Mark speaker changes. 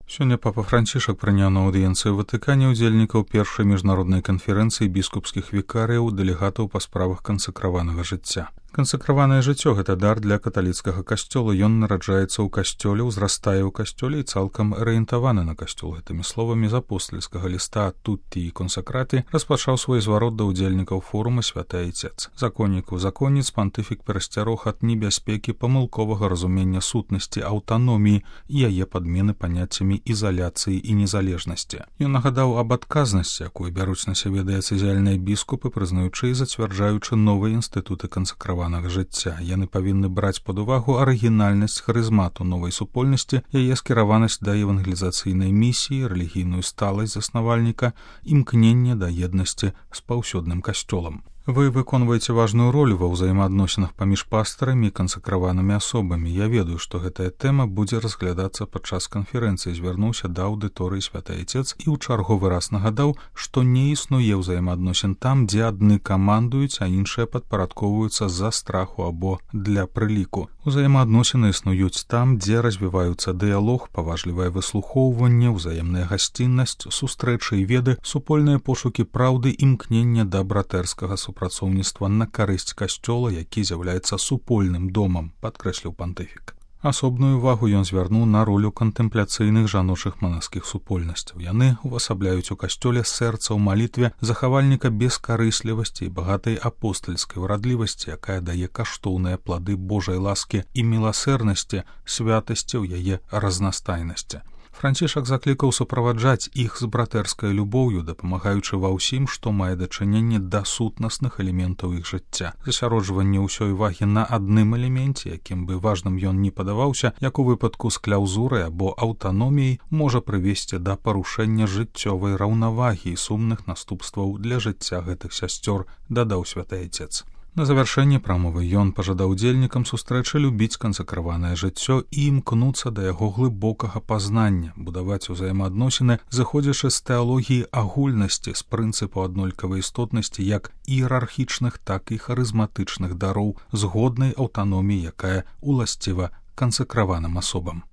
Speaker 1: Сёння папа Францішак прыняў на аўдыенцыі ў Ватыкане ўдзельнікаў першай міжнароднай канферэнцыі біскупскіх вікарыяў, дэлегатаў па справах кансакраванага жыцця. Кансакраванае жыццё – гэта дар для каталіцкага касцёла. Ён нараджаецца ў касцёле, узрастае ў касцёле і цалкам арыентаваны на касцёл. Гэтымі словамі з апостальскага ліста «Тутті і консакраты» распачаў свой зварот да ўдзельнікаў форума «Святы Айцец». Законніку законніц пантыфік перасцярог ад небяспекі памылковага разумення сутнасці аўтаноміі і яе падмены паняццямі ізаляцыі і незалежнасці. Ён нагадаў аб адказнасці, якую бяруць на сябе дыяцэзіяльныя біскупы, прызнаючы і зацвярджаючы новыя інстытуты кансакравання жыцця. Яны павінны браць пад увагу арыгінальнасць харызмату новай супольнасці, яе скіраванасць да евангелізацыйнай місіі, рэлігійную сталасць заснавальніка, імкненне да еднасці з паўсюдным касцёлам. Вы выконваеце важную ролю ва ўзаемаадносінах паміж пастарамі і кансакраванымі асобамі. Я ведаю, што гэтая тэма будзе разглядацца падчас канферэнцыі. Звярнуўся да аўдыторыі Святы Айцец і ў чарговы раз нагадаў, што не існуе ўзаемаадносін там, дзе адны камандуюць, а іншыя падпарадкоўваюцца з-за страху або для прыліку. Узаемаадносіны існуюць там, дзе развіваюцца дыялог, паважлівае выслухоўванне, ўзаемная гасціннасць, сустрэчы і веды, супольныя пошукі праўды, імкнення да братэрскага супрацоўніцтва на карысць касцёла, які з'яўляецца супольным домам, падкрэсліў пантыфік. Асобную увагу ён звярнуў на ролю кантэмпляцыйных жаночых манаскіх супольнасцяў. Яны увасабляюць у касцёле сэрца ў малітве захавальніка бескарыслівасці і багатай апостальскай урадлівасці, якая дае каштоўныя плады Божай ласкі і міласэрнасці, святасці ў яе разнастайнасці. Францішак заклікаў суправаджаць іх з братэрскай любоўю, дапамагаючы ва ўсім, што мае дачыненне да сутнасных элементаў іх жыцця. Засяроджванне ўсёй увагі на адным элеменце, якім бы важным ён не падаваўся, як у выпадку з кляўзурай або аўтаноміяй, можа прывесці да парушэння жыццёвай раўнавагі і сумных наступстваў для жыцця гэтых сясцёр, дадаў Святы Айцец. На завяршэнне прамовы ён пажадаў удзельнікам сустрэчы любіць кансакраванае жыццё і імкнуцца да яго глыбокага пазнання, будаваць узаемаадносіны, зыходзячы з тэалогіі агульнасці, з прынцыпу аднолькавай істотнасці як іерархічных, так і харызматычных дароў, згоднай аўтаноміі, якая уласціва кансакраваным асобам.